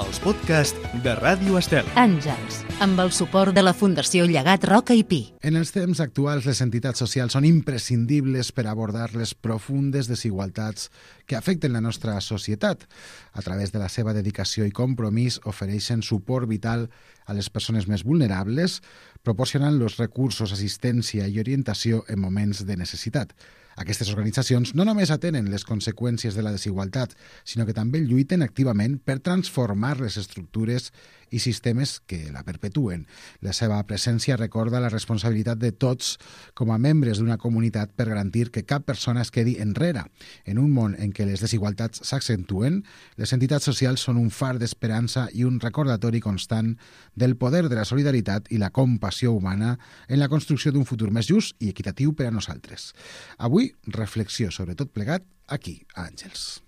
els podcasts de Ràdio Estel. Àngels, amb el suport de la Fundació Llegat Roca i Pi. En els temps actuals, les entitats socials són imprescindibles per abordar les profundes desigualtats que afecten la nostra societat. A través de la seva dedicació i compromís, ofereixen suport vital a les persones més vulnerables, proporcionant els recursos, assistència i orientació en moments de necessitat. Aquestes organitzacions no només atenen les conseqüències de la desigualtat, sinó que també lluiten activament per transformar les estructures i sistemes que la perpetuen. La seva presència recorda la responsabilitat de tots com a membres d'una comunitat per garantir que cap persona es quedi enrere. En un món en què les desigualtats s'accentuen, les entitats socials són un far d'esperança i un recordatori constant del poder de la solidaritat i la compassió humana en la construcció d'un futur més just i equitatiu per a nosaltres. Avui, reflexió sobre tot plegat aquí, a Àngels.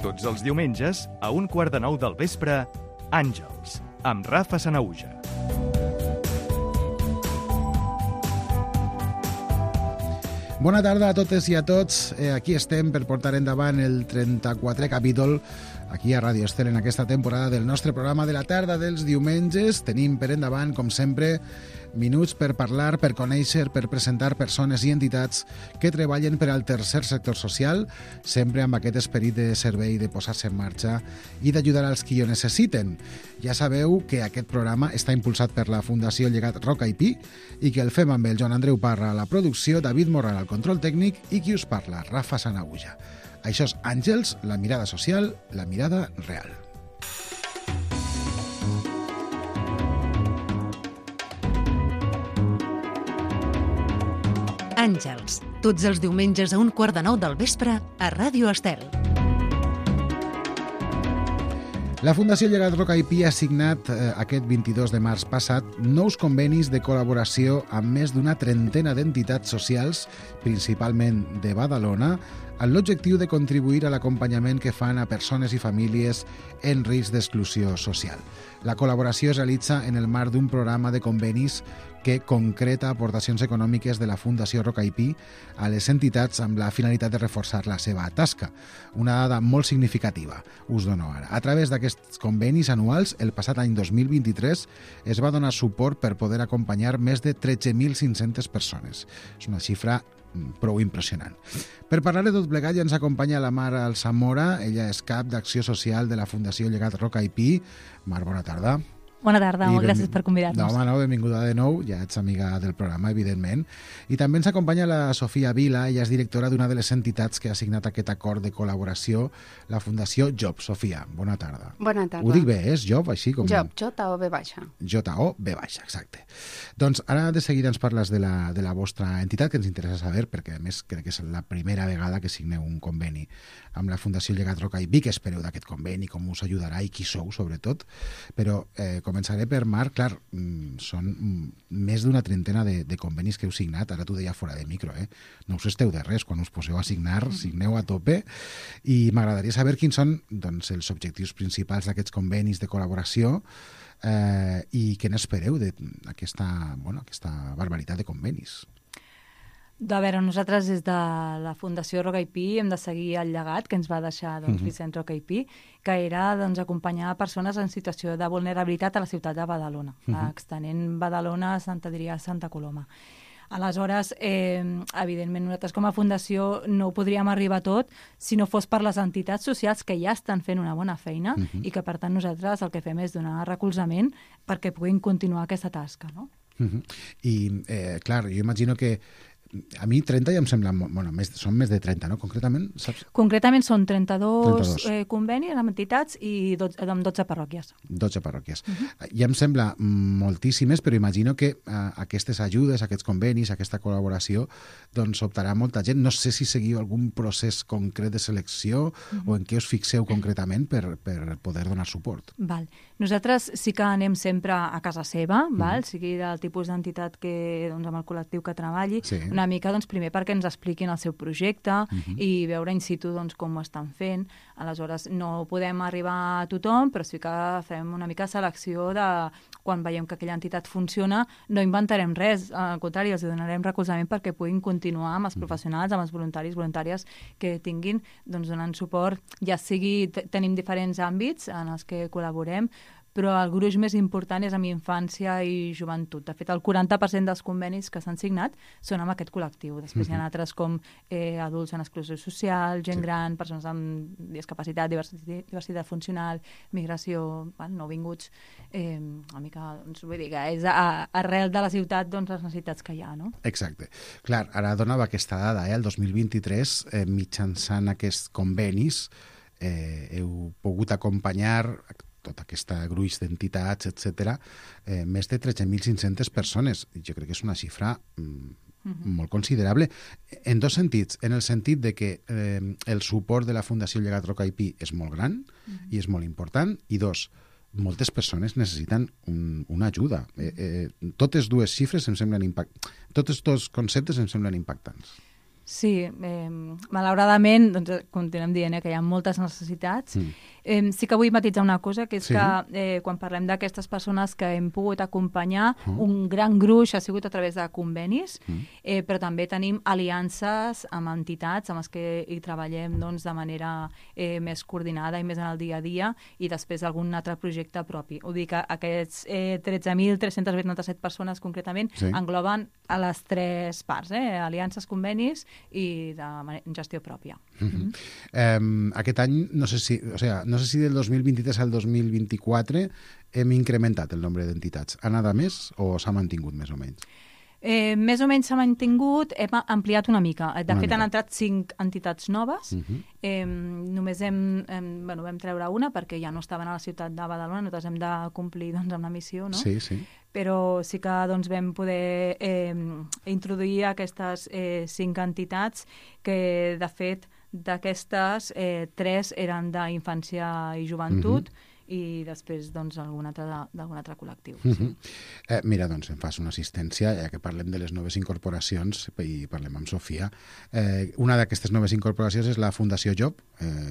Tots els diumenges, a 1:15 del vespre, Àngels, amb Rafa Sanahuja. Bona tarda a totes i a tots. Aquí estem per portar endavant el 34è capítol aquí a Ràdio Estel en aquesta temporada del nostre programa de la tarda dels diumenges. Tenim per endavant, com sempre, minuts per parlar, per conèixer, per presentar persones i entitats que treballen per al tercer sector social, sempre amb aquest esperit de servei, de posar-se en marxa i d'ajudar als qui ho necessiten. Ja sabeu que aquest programa està impulsat per la Fundació Llegat Roca i Pi i que el fem amb el Joan Andreu Parra a la producció, David Morral al control tècnic i qui us parla, Rafa Sanahuja. Això és Àngels, la mirada social, la mirada real. Àngels, tots els diumenges a 1:15 del vespre a Ràdio Estel. La Fundació Llegat Roca i Pi ha signat aquest 22 de març passat nous convenis de col·laboració amb més d'una trentena d'entitats socials, principalment de Badalona, amb l'objectiu de contribuir a l'acompanyament que fan a persones i famílies en risc d'exclusió social. La col·laboració es realitza en el marc d'un programa de convenis que concreta aportacions econòmiques de la Fundació Roca i Pi a les entitats amb la finalitat de reforçar la seva tasca. Una dada molt significativa, us dono ara. A través d'aquests convenis anuals, el passat any 2023 es va donar suport per poder acompanyar més de 13.500 persones. És una xifra prou impressionant. Per parlar de tot plegat ja ens acompanya la Mar Alsamora, ella és cap d'Acció Social de la Fundació Llegat Roca i Pi. Mar, bona tarda. Bona tarda, molt gràcies per convidar-nos. No, benvinguda de nou, ja ets amiga del programa, evidentment. I també ens acompanya la Sofia Vila, ella és directora d'una de les entitats que ha signat aquest acord de col·laboració, la Fundació JOB. Sofia, bona tarda. Bona tarda. Ho dic bé, és JOB, així com... JOB, J-O-B baixa. J-O-B baixa, exacte. Doncs ara de seguida ens parles de la vostra entitat, que ens interessa saber, perquè a més crec que és la primera vegada que signeu un conveni amb la Fundació Llegat Roca i Pi. Què espereu d'aquest conveni, com us ajudarà i qui sou, sobretot. Però començaré per Mar. Clar, són més d'una trentena de convenis que heu signat, ara t'ho deia fora de micro, no us esteu de res, quan us poseu a signar, signeu a tope, i m'agradaria saber quins són doncs, els objectius principals d'aquests convenis de col·laboració i què n'espereu d'aquesta barbaritat de convenis. A veure, nosaltres des de la Fundació Roca i Pi hem de seguir el llegat que ens va deixar Vicent Roca i Pi, que era acompanyar persones en situació de vulnerabilitat a la ciutat de Badalona, extenent Badalona a Sant Adrià, Santa Coloma. Aleshores, evidentment, nosaltres com a fundació no ho podríem arribar a tot si no fos per les entitats socials que ja estan fent una bona feina i que, per tant, nosaltres el que fem és donar recolzament perquè puguin continuar aquesta tasca, no? I, clar, jo imagino que a mi 30 ja em sembla... Bueno, són més de 30, no? Concretament, saps? Concretament són 32 convenis amb entitats i amb 12 parròquies. 12 parròquies. Ja em sembla moltíssimes, però imagino que aquestes ajudes, aquests convenis, aquesta col·laboració, doncs optarà molta gent. No sé si seguiu algun procés concret de selecció o en què us fixeu concretament per poder donar suport. Val. Nosaltres sí que anem sempre a casa seva, val? Sigui del tipus d'entitat que, doncs, amb el col·lectiu que treballi. Sí. una mica, doncs, primer perquè ens expliquin el seu projecte i veure in situ doncs, com ho estan fent. Aleshores, no podem arribar a tothom, però sí que fem una mica selecció de quan veiem que aquella entitat funciona, no inventarem res, al contrari, els donarem recolzament perquè puguin continuar amb els professionals, amb els voluntaris, voluntàries que tinguin, doncs, donant suport, ja sigui, tenim diferents àmbits en els que col·laborem, però el gruix més important és amb infància i joventut. De fet, el 40% dels convenis que s'han signat són amb aquest col·lectiu. Després hi ha altres com adults en exclusió social, gent gran, persones amb discapacitat, diversitat funcional, migració, nouvinguts, una mica, doncs, vull dir que és arrel de la ciutat, doncs, les necessitats que hi ha, no? Exacte. Clar, ara donava aquesta dada, el 2023, mitjançant aquests convenis, heu pogut acompanyar tot aquest gruix d'entitats, etc., més de 13.500 persones. Jo crec que és una xifra molt considerable, en dos sentits. En el sentit de que el suport de la Fundació Llegat Roca i Pi és molt gran i és molt important, i dos, moltes persones necessiten una ajuda. Totes dues xifres em semblen tots dos conceptes em semblen impactants. Sí, malauradament, doncs, continuem dient que hi ha moltes necessitats. Sí que vull matitzar una cosa, que és que quan parlem d'aquestes persones que hem pogut acompanyar, un gran gruix ha sigut a través de convenis, però també tenim aliances amb entitats amb les que hi treballem, doncs, de manera més coordinada i més en el dia a dia, i després algun altre projecte propi. Ho dic, aquests 13.387 persones concretament engloben a les tres parts, aliances, convenis i de gestió pròpia. Aquest any, no sé si del 2023 al 2024 hem incrementat el nombre d'entitats. Ha anat a més o s'ha mantingut més o menys? Més o menys s'ha mantingut, hem ampliat una mica. De fet, han entrat 5 entitats noves. Només vam treure una perquè ja no estaven a la ciutat de Badalona, nosaltres hem de complir amb la missió, no? Sí. Però sí que vam poder introduir aquestes 5 entitats que, de fet, d'aquestes 3 eren d'infància i joventut, i després d'algun altre col·lectiu. Mira, doncs em fas una assistència, ja que parlem de les noves incorporacions i parlem amb Sofia. Una d'aquestes noves incorporacions és la Fundació Job,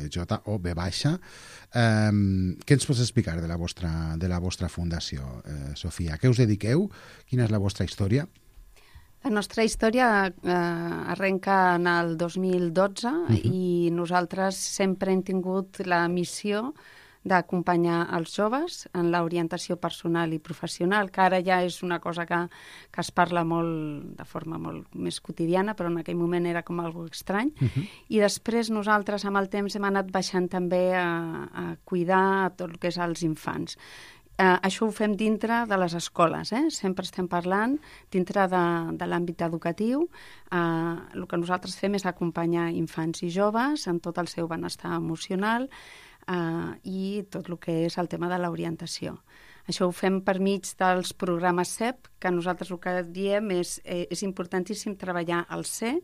J-O-B baixa. Què ens pots explicar de la vostra fundació, Sofia? A què us dediqueu? Quina és la vostra història? La nostra història arrenca en el 2012 i nosaltres sempre hem tingut la missió d'acompanyar els joves en l'orientació personal i professional, que ara ja és una cosa que es parla molt de forma molt més quotidiana, però en aquell moment era com algo estrany. I després nosaltres amb el temps hem anat baixant també a cuidar tot el que és els infants. Això ho fem dintre de les escoles, sempre estem parlant dintre de l'àmbit educatiu. El que nosaltres fem és acompanyar infants i joves en tot el seu benestar emocional, i tot el que és el tema de l'orientació. Això ho fem per mig dels programes CEP, que nosaltres el que diem és importantíssim treballar al ser,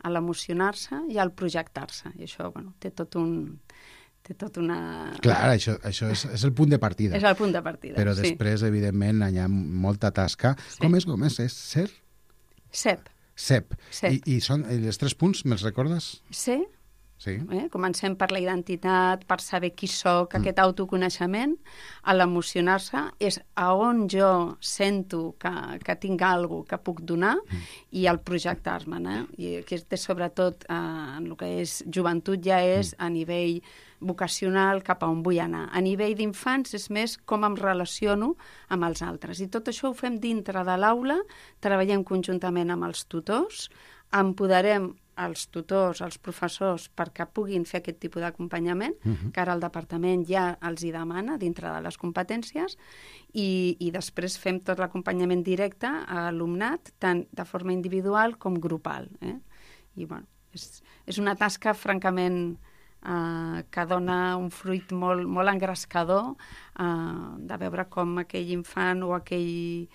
a l'emocionar-se i al projectar-se. I això, té tot una... Clar, això és el punt de partida. És el punt de partida, però després, evidentment, hi ha molta tasca. Sí. Com és? És ser? CEP. CEP. I són els 3 punts, me'ls recordes? Ser. Sí. Comencem per la identitat, per saber qui soc, aquest autoconeixement. A l'emocionar-se és a on jo sento que tinc alguna que puc donar, i al projectar-me. I aquest és sobretot en el que és joventut, ja és a nivell vocacional, cap a on vull anar. A nivell d'infants és més com em relaciono amb els altres. I tot això ho fem dintre de l'aula, treballem conjuntament amb els tutors, empoderem els tutors, els professors, perquè puguin fer aquest tipus d'acompanyament, que ara el departament ja els hi demana dintre de les competències, i després fem tot l'acompanyament directe a alumnat, tant de forma individual com grupal. I és una tasca francament que dona un fruit molt engrescador, de veure com aquell infant o aquell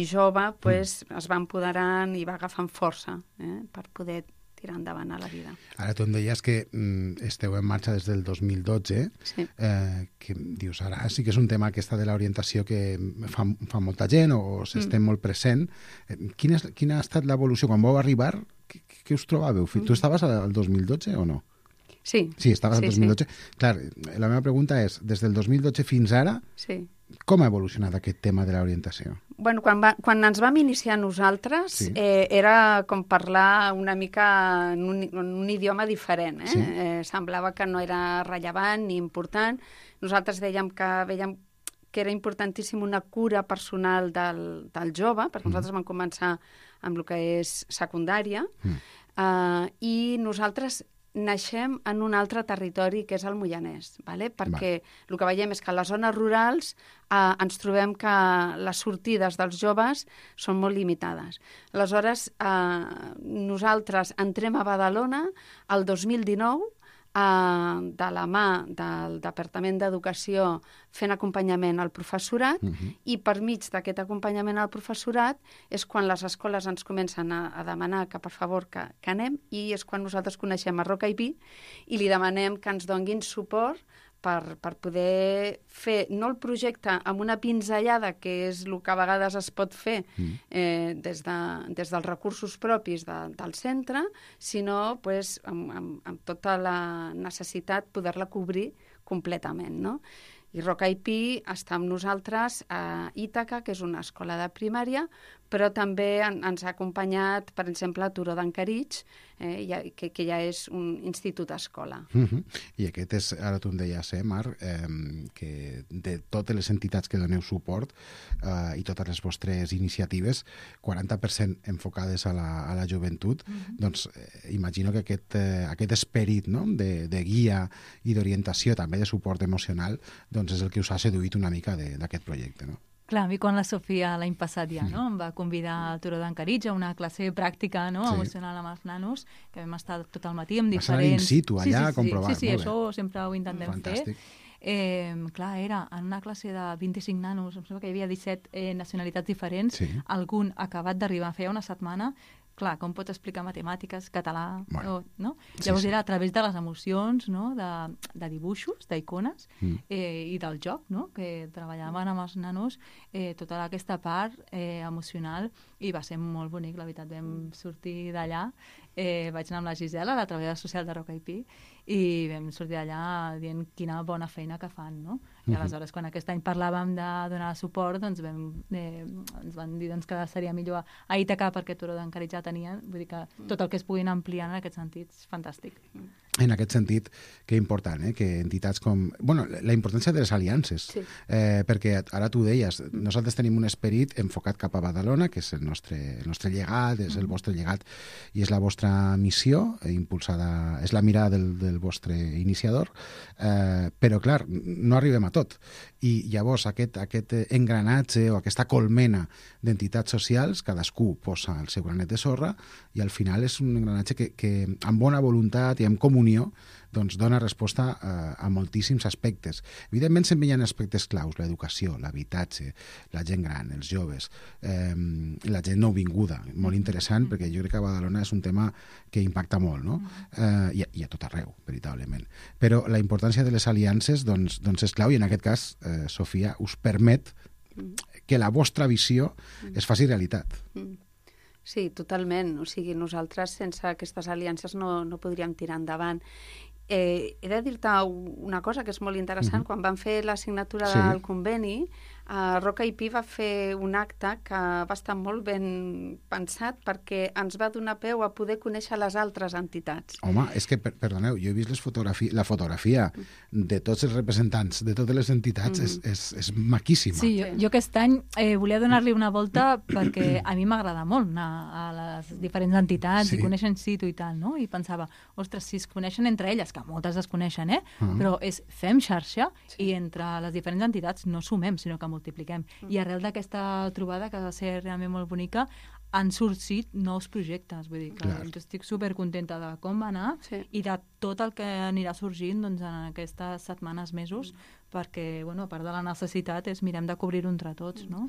jove es va empoderant i va agafant força per poder tirar endavant a la vida. Ara tu em deies que esteu en marxa des del 2012, Sí. Que dius, ara sí que és un tema aquesta de l'orientació que fa molta gent o s'estén molt present. Quina ha estat l'evolució? Quan vau arribar, què us trobàveu? Tu estaves al 2012 o no? Sí. Sí, estaves al Sí, 2012. Clar, la meva pregunta és, des del 2012 fins ara, Sí. com ha evolucionat aquest tema de l'orientació? Bueno, quan ens vam iniciar nosaltres, Sí. era com parlar una mica en un idioma diferent. Sí. Semblava que no era rellevant ni important. Nosaltres veiem que era importantíssim una cura personal del jove, perquè nosaltres vam començar amb el que és secundària, i nosaltres naixem en un altre territori, que és el Moianès, perquè el que veiem és que a les zones rurals ens trobem que les sortides dels joves són molt limitades. Aleshores, nosaltres entrem a Badalona el 2019, de la mà del Departament d'Educació fent acompanyament al professorat, i per mig d'aquest acompanyament al professorat és quan les escoles ens comencen a demanar que per favor que anem, i és quan nosaltres coneixem a Roca IP i li demanem que ens donguin suport per poder fer, no el projecte amb una pinzellada, que és el que a vegades es pot fer des dels recursos propis del centre, sinó amb tota la necessitat poder-la cobrir completament, no? I Roca IP està amb nosaltres a Ítaca, que és una escola de primària, però també ens ha acompanyat, per exemple, a Turó d'Encaritx, que ja és un institut-escola. I aquest és, ara tu em deies, Marc, que de totes les entitats que doneu suport i totes les vostres iniciatives, 40% enfocades a la joventut, doncs imagino que aquest esperit, no?, de guia i d'orientació, també de suport emocional, doncs és el que us ha seduït una mica d'aquest projecte, no? Clar, a mi quan la Sofia l'any passat ja em va convidar al Turó d'Encaritx a una classe pràctica emocional amb els nanos, que vam estar tot el matí amb diferents... Vas anar in situ allà a comprovar. Sí, això sempre ho intentem fer. Clar, era en una classe de 25 nanos, em sembla que hi havia 17 nacionalitats diferents, algun acabat d'arribar, feia una setmana. Clar, com pots explicar matemàtiques, català, no? Llavors era a través de les emocions, no?, de dibuixos, d'icones, i del joc, no?, que treballaven amb els nanos tota aquesta part emocional, i va ser molt bonic, la veritat. Vam sortir d'allà, vaig anar amb la Gisela, la treballadora social de Roca IP, i vam sortir d'allà dient quina bona feina que fan, no? I aleshores, quan aquest any parlàvem de donar suport, doncs ens van dir que seria millor a Ítaca, perquè Turó d'Encaritx ja tenien, vull dir que tot el que es puguin ampliar en aquest sentit és fantàstic. En aquest sentit, que important, que entitats com... Bueno, la importància de les aliances, perquè ara tu deies, nosaltres tenim un esperit enfocat cap a Badalona, que és el nostre llegat, és el vostre llegat i és la vostra missió, impulsada, és la mirada del vostre iniciador, però clar, no arribem a tot. I llavors aquest engranatge o aquesta colmena d'entitats socials, cadascú posa el seu granet de sorra, i al final és un engranatge que amb bona voluntat i amb comunió doncs dona resposta a moltíssims aspectes. Evidentment sempre hi ha aspectes claus, l'educació, l'habitatge, la gent gran, els joves, la gent nouvinguda, molt interessant, perquè jo crec que a Badalona és un tema que impacta molt, no? I a tot arreu, veritablement. Però la importància de les aliances doncs és clau, i en aquest cas, Sofia, us permet que la vostra visió es faci realitat. Sí, totalment. O sigui, nosaltres sense aquestes aliances no podríem tirar endavant. He de dir-te una cosa que és molt interessant. Quan vam fer la signatura del conveni, Roca IP va fer un acte que va estar molt ben pensat, perquè ens va donar peu a poder conèixer les altres entitats. Home, és que, perdoneu, jo he vist la fotografia de tots els representants de totes les entitats, és maquíssima. Sí, jo aquest any volia donar-li una volta perquè a mi m'agrada molt anar a les diferents entitats i conèixer in situ i tal, no? I pensava, ostres, si es coneixen entre elles, que moltes es coneixen, però fem xarxa i entre les diferents entitats no sumem, sinó que multipliquem. I arrel d'aquesta trobada, que va ser realment molt bonica, han sorgit nous projectes. Vull dir que jo estic supercontenta de com va anar i de tot el que anirà sorgint en aquestes setmanes, mesos, perquè, a part de la necessitat, mirem de cobrir-ho entre tots, no?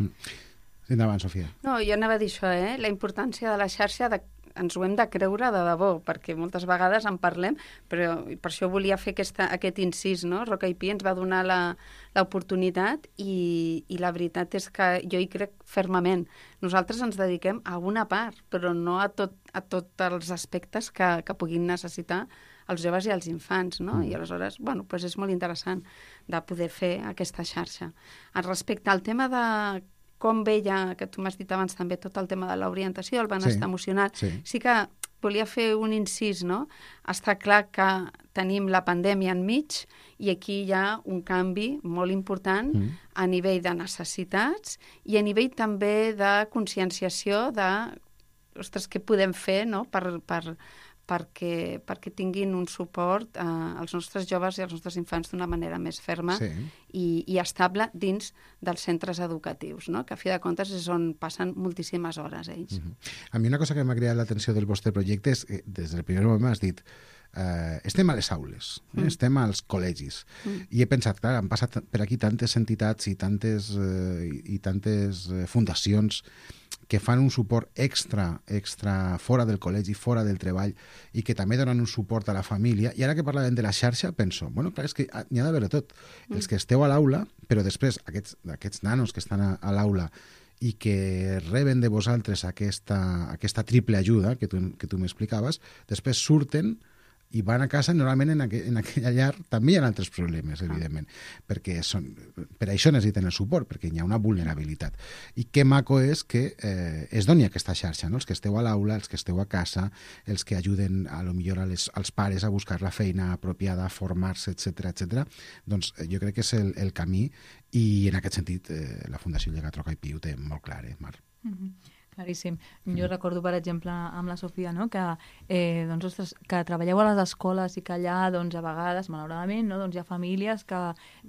Endavant, Sofia. No, jo anava a dir això, la importància de la xarxa, ens ho hem de creure de debò, perquè moltes vegades en parlem, però per això volia fer aquest incís, no? Rock IP ens va donar l'oportunitat i la veritat és que jo hi crec fermament. Nosaltres ens dediquem a una part, però no a tots els aspectes que puguin necessitar els joves i els infants, no? I aleshores, bueno, doncs és molt interessant de poder fer aquesta xarxa. Respecte al tema de com veia, que tu m'has dit abans també, tot el tema de l'orientació, el benestar emocional, sí que volia fer un incís, no? Està clar que tenim la pandèmia enmig i aquí hi ha un canvi molt important a nivell de necessitats i a nivell també de conscienciació de, ostres, què podem fer, no?, perquè tinguin un suport als nostres joves i als nostres infants d'una manera més ferma i estable dins dels centres educatius, no? Que a fi de comptes és on passen moltíssimes hores ells. A mi una cosa que m'ha cridat l'atenció del vostre projecte és que des del primer moment m'has dit estem a les aules, estem als col·legis i he pensat, clar, han passat per aquí tantes entitats i tantes fundacions que fan un suport extra fora del col·legi, fora del treball i que també donen un suport a la família. I ara que parlàvem de la xarxa, penso, bueno, clar, és que n'hi ha d'haver tot. Els que esteu a l'aula, però després aquests nanos que estan a l'aula i que reben de vosaltres aquesta triple ajuda que tu m'explicaves, després surten i van a casa, normalment en aquella llar també hi ha altres problemes, evidentment, perquè per això necessiten el suport, perquè hi ha una vulnerabilitat. I que maco és que es doni aquesta xarxa, no? Els que esteu a l'aula, els que esteu a casa, els que ajuden a lo millor als pares a buscar la feina apropiada, a formar-se, etc. Doncs jo crec que és el camí i en aquest sentit la Fundació Llegat Roca i Pi ho té molt clar, Mar? Claríssim. Jo recordo, per exemple, amb la Sofia, no?, que, doncs, ostres, que treballeu a les escoles i que allà, doncs, a vegades, malauradament, no?, doncs hi ha famílies que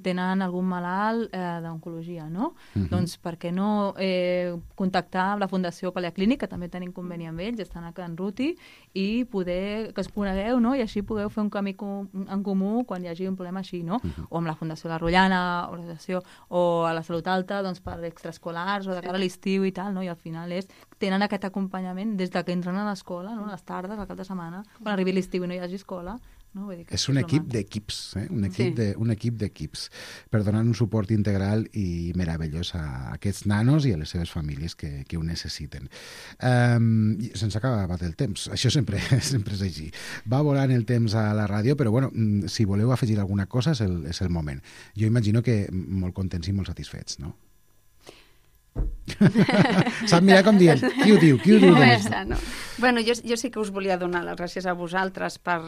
tenen algun malalt d'oncologia, no? Doncs per què no contactar amb la Fundació Paleaclínic, que també tenen conveni amb ells, estan a Can Ruti, i poder que es conegueu, no?, i així podeu fer un camí en comú quan hi hagi un problema així, no? O amb la Fundació La Rotllana, o a la Salut Alta, doncs, per extraescolars, o de cara a l'estiu i tal, no? I al final tenen aquest acompanyament des que entren a l'escola, no?, a les tardes, al cap de setmana, quan arribi l'estiu i no hi hagi escola. No? Vull dir que és un equip d'equips, un equip d'equips per donar un suport integral i meravellós a aquests nanos i a les seves famílies que ho necessiten. Se'ns ha acabat el temps, això sempre és així. Va volant el temps a la ràdio, però bueno, si voleu afegir alguna cosa és el moment. Jo imagino que molt contents i molt satisfets, no? Sap mirar com dient, qui ho diu? No. Bueno, jo sí que us volia donar les gràcies a vosaltres per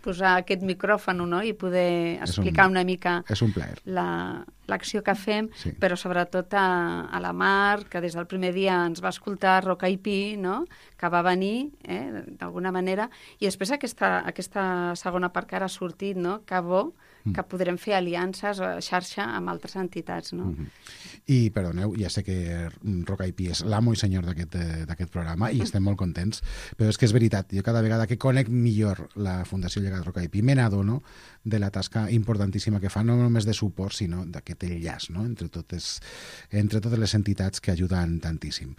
posar aquest micròfon, no?, i poder explicar una mica l'acció que fem, però sobretot a la Mar, que des del primer dia ens va escoltar Roca i Pi, no?, que va venir, d'alguna manera, i després aquesta segona part que ara ha sortit, no?, que bo, que podrem fer aliances o xarxa amb altres entitats, no? I, perdoneu, ja sé que Roca i Pi és l'amo i senyor d'aquest programa i estem molt contents, però és que és veritat, jo cada vegada que conec millor la Fundació Llegat Roca i Pi me n'adono de la tasca importantíssima que fa, no només de suport, sinó d'aquest enllaç, no?, entre totes les entitats que ajuden tantíssim.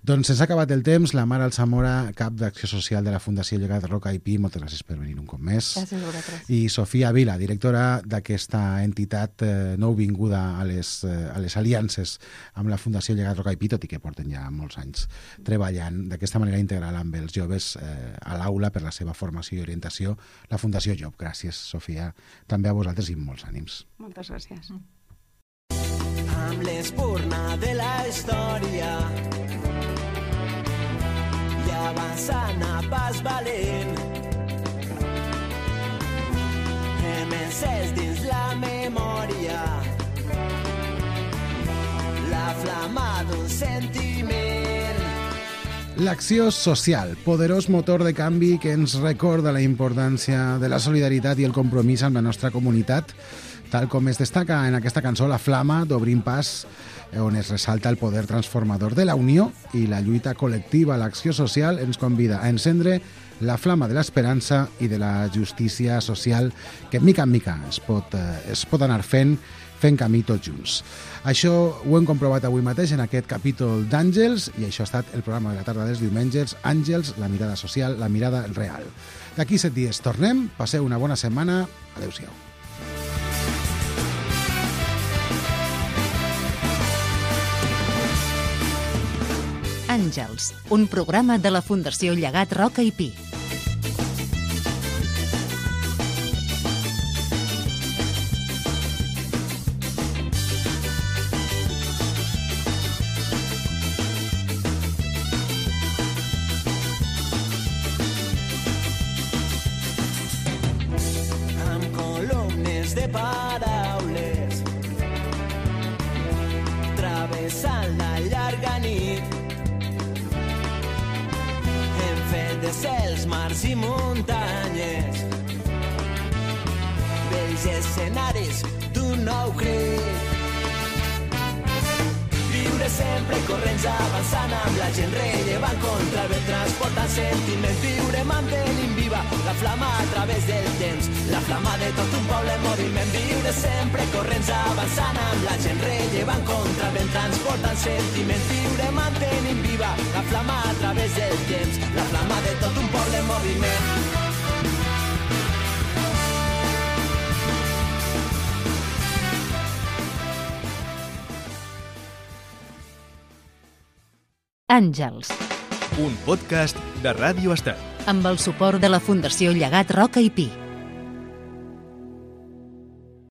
Doncs s'ha acabat el temps. La Mar Alsamora, cap d'Acció Social de la Fundació Llegat Roca i Pi, moltes gràcies per venir un cop més. Gràcies a vosaltres. I Sofia Vila, directora d'aquesta entitat nouvinguda a les aliances amb la Fundació Llegat Roca i Pi, tot i que porten ja molts anys treballant d'aquesta manera integral amb els joves a l'aula per la seva formació i orientació, la Fundació Job. Gràcies, Sofia. També a vosaltres i molts ànims. Moltes gràcies. Amb l'espurna de la història i avançant a pas valent, hem encès dins la memòria la flama d'un sentiment. L'acció social, poderós motor de canvi que ens recorda la importància de la solidaritat i el compromís amb la nostra comunitat tal com es destaca en aquesta cançó La Flama d'Obrint Pas, on es ressalta el poder transformador de la unió i la lluita col·lectiva. L'acció social ens convida a encendre la flama de l'esperança i de la justícia social que mica en mica es pot anar fent camí tots junts. Això ho hem comprovat avui mateix en aquest capítol d'Àngels i això ha estat el programa de la tarda dels diumenges, Àngels, la mirada social, la mirada real. D'aquí 7 dies tornem, passeu una bona setmana, adeu-siau. Àngels, un programa de la Fundació Llegat Roca i Pi. Amb columnes de paraules travessant la llarga nit hem fet de cels, mars i muntanyes vells escenaris d'un nou crit. Viure sempre corrents avançant amb la gent rellevant contra el vent transportant sentiments. Viure mantenint viva la flama a través del temps, la flama de tot un poble en moviment. Viure sempre corrents avançant amb la gent rellevant contra el vent transportant sentiments. Viure mantenint viva la flama a través del temps, la flama de tot un poble en moviment. Àngels, Un podcast de Ràdio Estat. amb el suport de la Fundació Llegat Roca i Pi.